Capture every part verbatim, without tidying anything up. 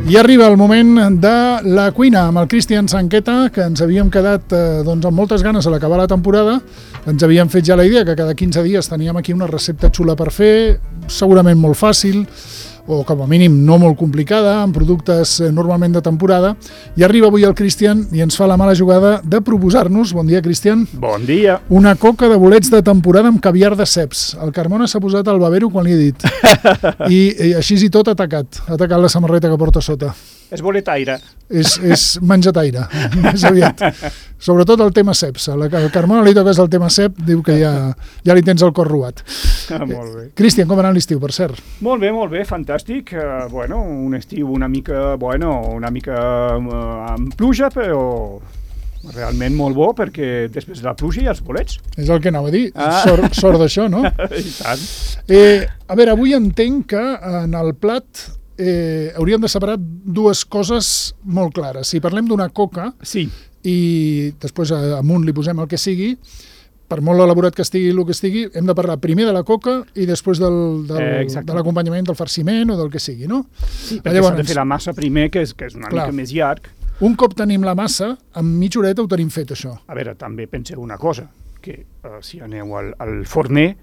I arriba el moment de la cuina amb el Cristian Sanqueta, que ens havíem quedat eh, doncs, amb moltes ganes a l'acabar la temporada. Ens havíem fet ja la idea que cada quinze dies teníem aquí una recepta xula per fer, segurament molt fàcil, o com a mínim no molt complicada, amb productes eh, normalment de temporada. I arriba avui el Cristian i ens fa la mala jugada de proposar-nos, bon dia Cristian, Bon dia. una coca de bolets de temporada amb caviar de ceps. El Carmona s'ha posat al babero quan li he dit. I, i així i tot ha atacat, ha atacat la samarreta que porta sota. És boletaire. És, és menjataire, més aviat. Sobretot el tema ceps. Al Carmona li toques el tema cep, diu que ja, ja li tens el cor robat. Ah, molt bé. Cristian, com ha anat l'estiu, per cert? Molt bé, molt bé, fantàstic. Uh, bueno, un estiu una mica, bueno, una mica uh, amb pluja, però realment molt bo, perquè després de la pluja hi ha els bolets. És el que anava a dir, Ah. sort, sort d'això, no? I tant. Eh, a veure, avui entenc que en el plat eh, hauríem de separar dues coses molt clares. Si parlem d'una coca Sí, i després amunt li posem el que sigui, per molt elaborat que estigui el que estigui, hem de parlar primer de la coca i després del, del, Eh, de exactament. l'acompanyament del farciment o del que sigui, no? sí perquè s'ha de fer la massa primer, que és, que és una Clar. mica més llarg. Un cop tenim la massa, en mitja horeta ho tenim fet, això. A veure, també penseu una cosa, que uh, si aneu al, al forner,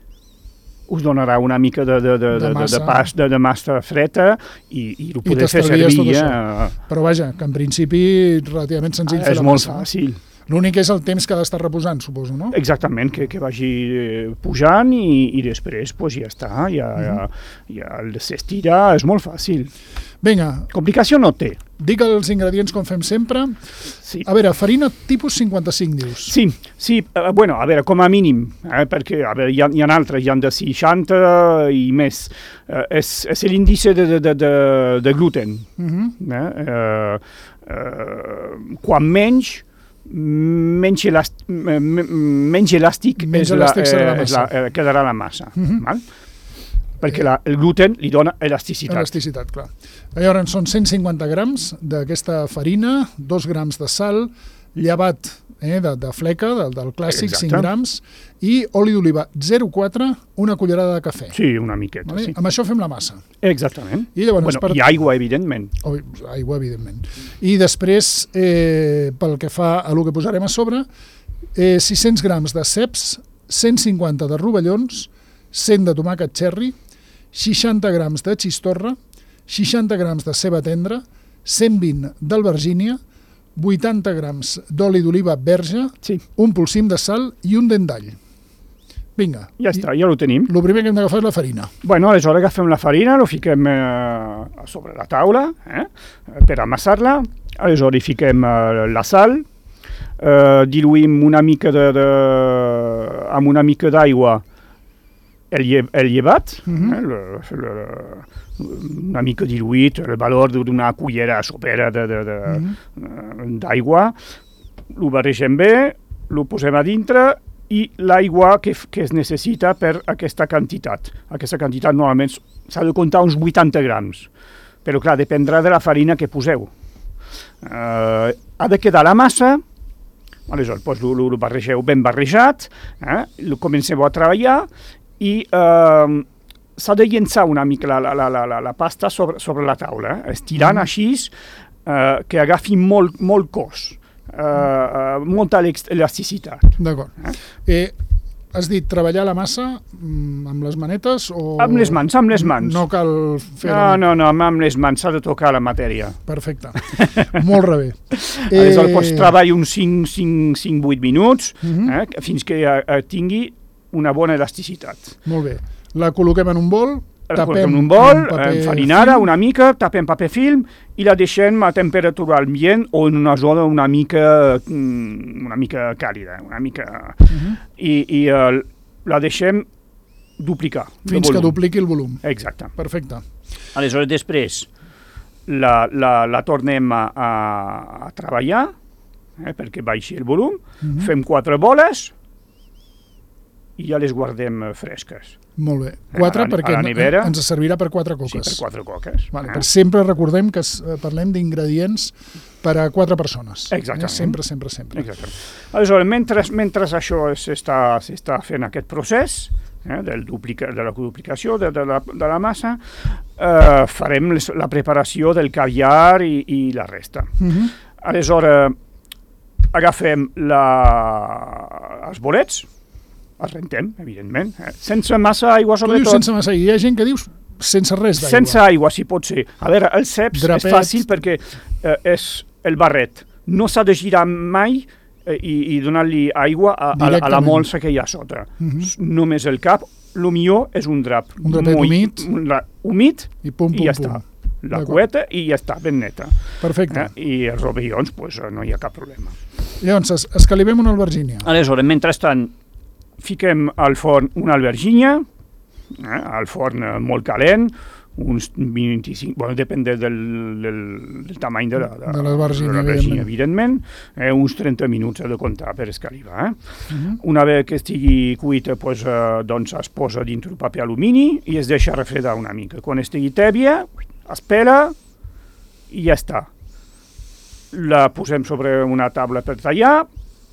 us donarà una mica de, de, de, De de, de, massa. de, pas, de, de massa freda i, i ho I podeu fer t'estalvies tot servir. això. Eh? Però vaja, que en principi relativament senzill Ah, fer és la molt massa. fàcil. L'únic és el temps que ha d'estar reposant, suposo, no? Exactament, que, que vagi eh, pujant i, i després pues, ja està, ja, Mhm. ja, ja s'estira, és molt fàcil. Vinga, Complicació no té. dic els ingredients com fem sempre. Sí, A veure, farina tipus cinquanta-cinc, dius. sí, sí eh, bueno, a veure, com a mínim, eh, perquè a veure, hi, ha, hi ha altres, hi ha de seixanta i més. Eh, és és l'índice de, de, de, de, de gluten. Mhm. Eh? Eh, eh, quan menys, menys, elàstic, menys elàstic, Menys és la, elàstic serà la eh, és massa. la, eh, quedarà la massa. Mhm. Val? Perquè la, el gluten li dona elasticitat. Elasticitat, clar. Llavors són cent cinquanta grams d'aquesta farina, dos grams de sal, llevat eh, de, de fleca, del, del clàssic, Exacte. cinc grams, i oli d'oliva zero coma quatre, una cullerada de cafè. Sí, una miqueta, Vale? sí. Amb això fem la massa. Exactament. I llavors, Bueno, per... I aigua, evidentment. Oh, aigua, evidentment. I després, eh, pel que fa a el que posarem a sobre, eh, sis cents grams de ceps, cent cinquanta de rovellons, cent de tomàquet cherry, seixanta grams de xistorra, seixanta grams de ceba tendra, cent vint d'albergínia, vuitanta grams d'oli d'oliva verge, Sí, un polsim de sal i un dent d'all. Vinga. ja està, ja ho tenim. El primer que hem d'agafar és la farina. Bueno, aleshores agafem la farina, ho fiquem eh, a sobre la taula eh, per amassar-la. Aleshores hi fiquem eh, la sal, eh, diluïm una mica de, de, amb una mica d'aigua el, lle, el llevat, Mhm. eh, le, le, una mica diluït, el valor d'una cullera sopera de, de, de, Mhm. d'aigua, ho barregem bé, ho posem a dintre i l'aigua que, f- que es necessita per aquesta quantitat. Aquesta quantitat normalment s'ha de comptar uns vuitanta grams, però clar, dependrà de la farina que poseu. Uh, ha de quedar la massa, aleshores doncs, ho, ho barregeu ben barrejat, eh? Lo comenceu a treballar i uh, s'ha de llençar una mica la, la, la, la, la pasta sobre, sobre la taula, eh? estirant Mhm. així uh, que agafi molt, molt cos, uh, uh, molta elex- elasticitat. D'acord. Eh, has dit treballar la massa mm, amb les manetes o... Amb les mans, amb les mans. No cal fer... No, no, no, amb les mans s'ha de tocar la matèria. Perfecte. Molt rebé. Eh... Aleshores pots treballar uns cinc vuit minuts Mhm. eh, fins que eh, tingui una bona elasticitat. Molt bé. La col·loquem en un bol, La tapem posem en un bol, amb paper enfarinada film. una mica, tapem paper film i la deixem a temperatura ambient o en una zona una mica, mm, una mica càlida, una mica... Mhm. I, i uh, la deixem duplicar. de Fins que volum. dupliqui el volum. Exacte. Perfecte. Aleshores, després la, la, la tornem a, a, a treballar eh, perquè baixi el volum, Mhm. fem quatre boles i ja les guardem eh, fresques. Molt bé. Quatre a la- perquè a la nevera. ens servirà per quatre Sí, coques. per quatre coques. Vale, eh? per sempre recordem que es, eh, parlem d'ingredients per a quatre persones. Exactament. Eh? Sempre, sempre, sempre. Exacte. Aleshores, mentre, mentre això s'està s'està fent aquest procés, eh, del duplica, de la duplicació de, de, la, de la massa, eh, farem les, la preparació del caviar i, i la resta. Uh-huh. Aleshores, agafem la, els bolets, els rentem, evidentment, eh, sense massa aigua, Tu dius sobretot. sense massa aigua. Hi ha gent que dius sense res d'aigua. Sense aigua, si pot ser. A veure, el ceps Drapets. és fàcil perquè eh, és el barret. No s'ha de girar mai eh, i, i donar-li aigua a, a, a la Directament. molsa que hi ha sota. Mhm. Només el cap. El millor és un drap. Un drapet molt- humit. un dra- humit I pum, pum, i ja pum. està. La D'acord. cueta i ja està, ben neta. Perfecte. Eh? I els rovellons, pues, eh, no hi ha cap problema. Llavors, es- escalivem una albergínia. Aleshores, mentrestant, fiquem al forn una albergínia, eh, al forn eh, molt calent, uns vint-i-cinc, bueno, depèn de, del, del, del tamany de la, de, De l'albergínia, de l'albergínia, evidentment. evidentment, eh, uns trenta minuts ha de comptar per escalivar. Eh? Uh-huh. Una vegada que estigui cuita, pues, eh, doncs es posa dintre un paper alumini i es deixa refredar una mica. Quan estigui tèbia, es pela i ja està. La posem sobre una taula per tallar,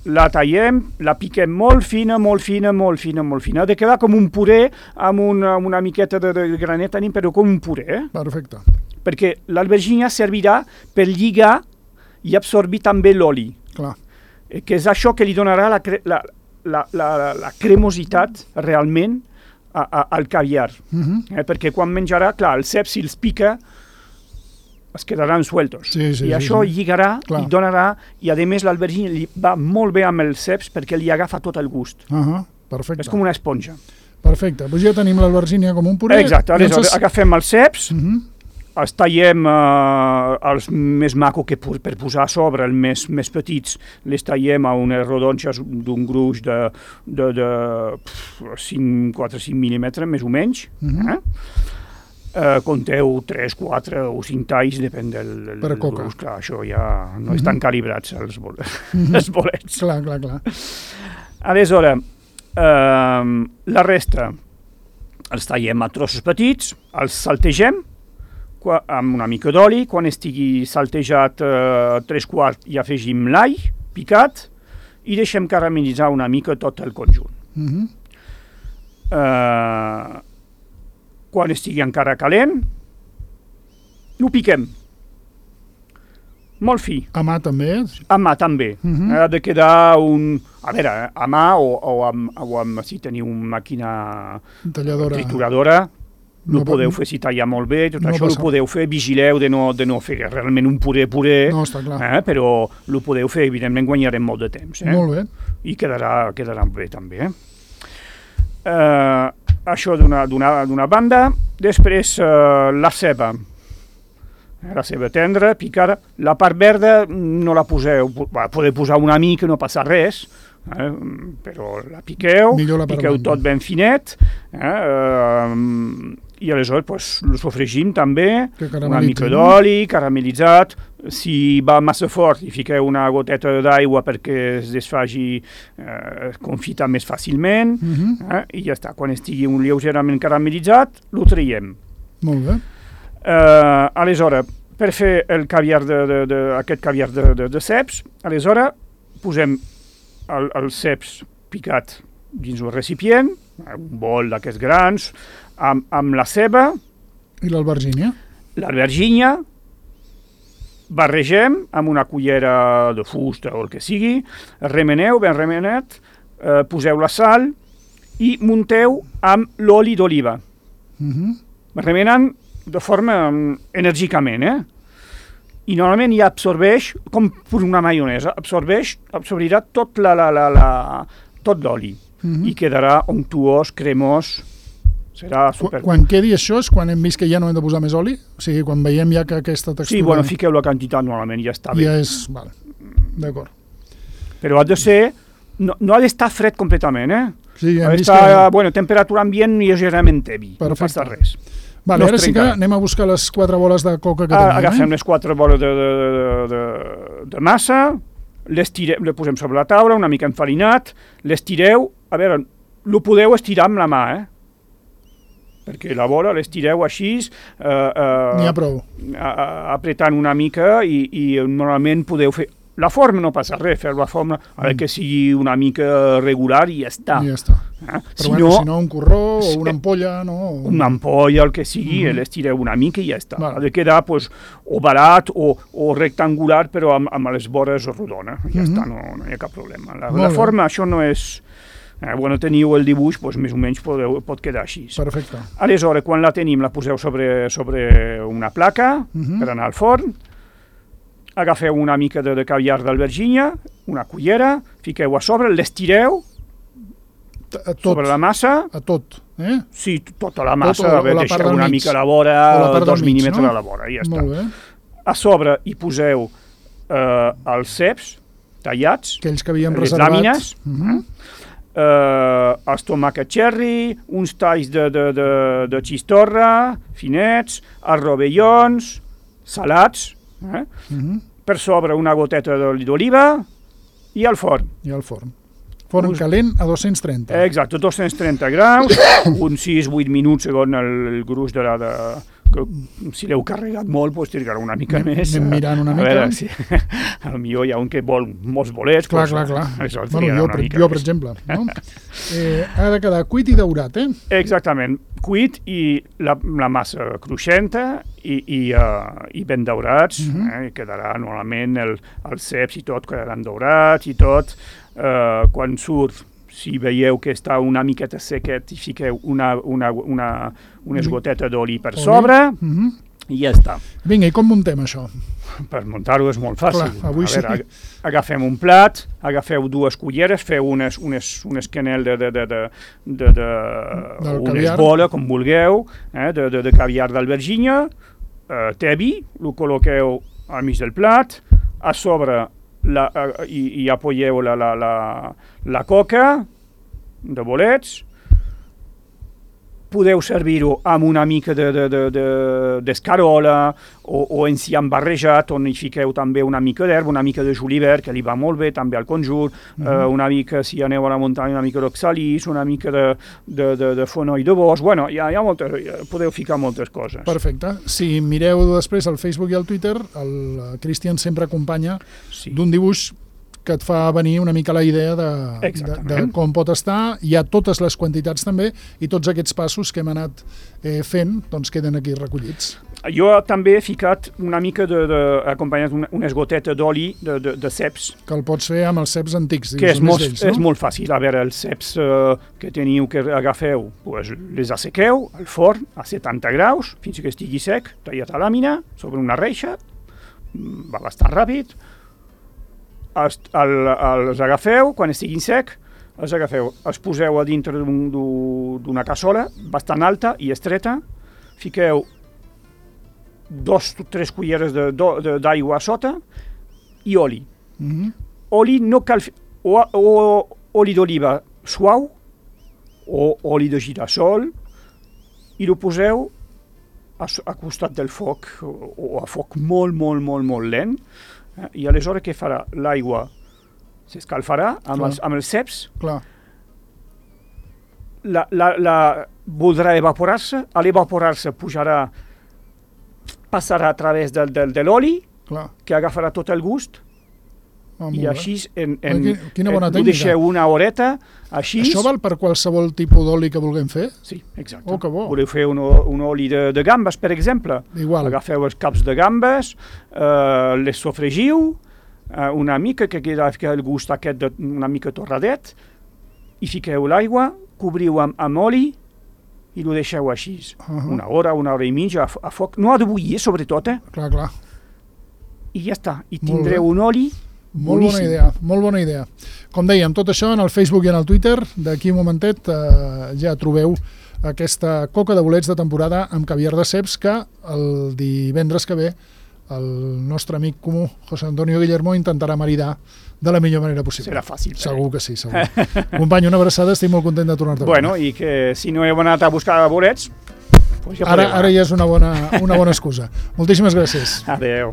la tallem, la piquem molt fina, molt fina, molt fina, molt fina. Ha de quedar com un puré amb una, una miqueta de, de granet, però com un puré, eh? Perfecte. Perquè l'albergínia servirà per lligar i absorbir també l'oli, Clar. eh, que és això que li donarà la, cre la, la, la, la cremositat realment a, a, al caviar. Uh-huh. Eh? Perquè quan menjarà, clar, el cep, si els pica, es quedaran sueltos. Sí, sí, I sí, això sí. lligarà Clar. i donarà, i a més l'albergínia li va molt bé amb els ceps perquè li agafa tot el gust. Uh-huh. Perfecte. És com una esponja. Perfecte. Doncs ja tenim l'albergínia com un puré. Exacte, aleshores Llavors, agafem els ceps, uh-huh. els tallem eh, els més macos que pu- per posar a sobre, els més, més petits, les tallem a unes rodonxes d'un gruix de, de, de cinc, quatre cinc mil·límetres, més o menys. Mhm. eh? Eh, compteu tres, quatre o cinc talls, depèn del, del, Per a del coca. gruix. Clar, això ja no Mhm. estan calibrats, els, bol Mhm. els bolets. Clar, clar, clar. Aleshores, eh, la resta els tallem a trossos petits, els saltegem qua, amb una mica d'oli. Quan estigui saltejat eh, tres quarts hi afegim l'all picat i deixem caramelitzar una mica tot el conjunt. Uh-huh. Eh, quan estigui encara calent, ho piquem. Molt fi. A mà també. A mà també. Mhm. Ha de quedar un... A veure, eh, a mà o, o, amb, o amb, si teniu una màquina Talladora. trituradora, No no pot- podeu fer si talla molt bé, tot no això passa. ho podeu fer, vigileu de no, de no fer realment un puré puré, No, està clar. eh, però ho podeu fer, evidentment guanyarem molt de temps. Eh? Molt bé. I quedarà, quedarà bé també. Eh? Eh, això d'una d'una- d'una banda. Després eh, la ceba. Eh, La ceba tendra, picada. La part verda no la poseu, va, podeu posar una mica, no passa res, eh? Però la piqueu, Millor la part piqueu blanca. tot ben finet, eh? Eh, i aleshores pues, lo sofregim també, Que una caramelitzi, mica no? d'oli, caramelitzat. Si va massa fort, hi fiqueu una goteta d'aigua perquè es desfaci, eh, confita més fàcilment, Uh-huh. eh, i ja està. Quan estigui un lleugerament caramelitzat, lo traiem. Molt bé. Eh, aleshores, per fer el caviar de, de, de, aquest caviar de, de, de ceps, aleshores posem el, el ceps picat dins un recipient, un bol d'aquests grans, amb, amb la ceba, I l'albergínia? l'albergínia, barregem amb una cullera de fusta o el que sigui, remeneu ben remenat, eh, poseu la sal i munteu amb l'oli d'oliva, Uh-huh. remenant de forma um, enèrgicament, eh? I normalment ja absorbeix, com per una maionesa, absorbeix, absorbirà tot la, la, la, la, tot l'oli Uh-huh. i quedarà onctuós, cremós, serà Qu super... quan quedi això és quan hem vist que ja no hem de posar més oli? O sigui, quan veiem ja que aquesta textura... Sí, bueno, fiqueu la quantitat normalment, ja està bé. Ja és... Vale. D'acord. Però ha de ser... No, no ha d'estar fred completament, eh? Sí, Ha hem vist d'estar, que... bueno, temperatura ambient lleugerament tebi, no Perfecte. passa res. Vale, no ara es sí que trencarà. anem a buscar les quatre boles de coca que Ah, tenim. agafem eh? les quatre boles de, de, de, de, de massa, les, tirem, les posem sobre la taula, una mica enfarinat, les tireu, a veure, lo podeu estirar amb la mà, eh? Perquè la bola l'estireu així, eh, eh, N'hi ha prou. a- a- apretant una mica i, i normalment podeu fer La forma no passa res, fer la forma, a veure que sigui una mica regular i ja està. I ja està. Eh? Però Si bueno, no, si no, un corró o una ampolla, no? O... una ampolla, el que sigui, Mhm. l'estireu una mica i ja està. Val. Ha de quedar pues, ovalat o, o rectangular, però amb, amb les vores rodona. Ja Mhm. està, no, no hi ha cap problema. La, Molt la bé. forma, això no és... Eh, quan teniu el dibuix, pues, més o menys podeu, pot quedar així. Perfecte. Aleshores, quan la tenim, la poseu sobre, sobre una placa Mhm. per anar al forn, agafeu una mica de, de caviar d'albergínia, una cullera, fiqueu a sobre, l'estireu T- A tot, sobre la massa, a tot. Eh? sí, tota la massa, o- o a veure, la part deixeu del una mig. mica a la vora, O la part del dos mig, mil·límetres no? a la vora, i ja està. Molt bé. A sobre hi poseu eh, els ceps tallats, Aquells que havíem les reservat. làmines, Mhm. eh, els tomàquets cherry, uns talls de, de, de, de xistorra, finets, els rovellons, salats, eh? Mhm. Per sobre una goteta d'oli d'oliva i al forn. I al forn. Forn Us- calent a dos-cents trenta. Exacte, dos-cents trenta graus, uns sis vuit minuts segons el, el gruix de la... De, que, si l'heu carregat molt, doncs trigarà una mica Anem- més. anem mirant una a mica. Veure, si, potser hi ha un que vol molts bolets. Clar, doncs, clar, clar. Això Bueno, trigarà jo, una per, mica jo, per més. exemple. No? eh, ha de quedar cuit i daurat, eh? Exactament, cuit i la, la massa cruixenta i, i, uh, i ben daurats, Mhm. eh? I quedarà normalment el, els ceps i tot quedaran daurats i tot. Uh, quan surt, si veieu que està una miqueta sequet, i fiqueu una, una, una, unes Oli. gotetes d'oli per Oli. sobre Mhm. i ja està. Vinga, i com muntem això? Per muntar-ho és molt fàcil. Clar, avui a veure, sí. ag- agafem un plat, agafeu dues culleres, feu unes, unes, unes canel de, de, de, de, de, de Del unes caviar. boles, com vulgueu, eh, de, de, de caviar d'albergínia, eh, té vi, ho col·loqueu al mig del plat, a sobre la, eh, i, i apoyeu la, la, la, la coca de bolets, podeu servir-ho amb una mica d'escarola de, de, de, o, o enciam barrejat, on hi fiqueu també una mica d'herba, una mica de julivert, que li va molt bé també al conjur, mm -hmm. eh, una mica, si aneu a la muntanya, una mica d'oxalis, una mica de, de, de, de fonoll de bosc, bueno, hi ha, hi ha moltes, podeu ficar moltes coses. Perfecte. Si mireu després al Facebook i al Twitter, el Cristian sempre acompanya Sí. d'un dibuix que et fa venir una mica la idea de, de, Exactament. de com pot estar. Hi ha totes les quantitats també i tots aquests passos que hem anat eh, fent doncs queden aquí recollits. Jo també he ficat una mica de, de acompanyat una, unes gotetes d'oli de, de, de ceps, Que el pots fer amb els ceps antics. que dius, és els més molt, vells, és no? molt fàcil. A veure, els ceps eh, que teniu que agafeu, pues, les assequeu al forn a setanta graus, fins que estigui sec, tallat a làmina, sobre una reixa, mm, va bastant ràpid, els, el, els agafeu, quan estiguin sec, els agafeu, els poseu a dintre d'una cassola bastant alta i estreta, fiqueu dos o tres culleres d'aigua a sota i oli. Mhm. Oli no cal... fi- O, o oli d'oliva suau o oli de girassol i ho poseu a, so- a costat del foc o, o a foc molt, molt, molt, molt lent eh? I aleshores què farà? L'aigua s'escalfarà amb, Clar. els, amb els ceps, Clar. la, la, la voldrà evaporar-se, a l'evaporar-se pujarà, passarà a través del, del, de l'oli, Clar. que agafarà tot el gust, Ah, i molt bé. així en, en, Qui- quina bona en, ho tècnica. deixeu una horeta, així... Això val per qualsevol tipus d'oli que vulguem fer? Sí, exacte. Oh, que bo. Voleu fer un, o- un oli de, de gambes, per exemple? Igual. Agafeu els caps de gambes, eh, les sofregiu, eh, una mica, que queda que el gust aquest de, una mica torradet, i fiqueu l'aigua, cobriu amb, amb oli i ho deixeu així. Uh -huh. Una hora, una hora i mitja, a, f- a foc. No ha de bullir, sobretot, eh? Clar, clar. I ja està. I Molt tindreu bé. un oli Molt boníssim. bona idea, molt bona idea. Com dèiem, tot això en el Facebook i en el Twitter, d'aquí un momentet eh, ja trobeu aquesta coca de bolets de temporada amb caviar de ceps que el divendres que ve el nostre amic comú, José Antonio Guillermo, intentarà maridar de la millor manera possible. Serà fàcil. Segur que sí, segur. Company, una abraçada, estic molt content de tornar-te a veure. Bueno, i que si no heu anat a buscar bolets, pues ja Ara, podeu ara anar. ja és una bona, una bona excusa. Moltíssimes gràcies. Adéu.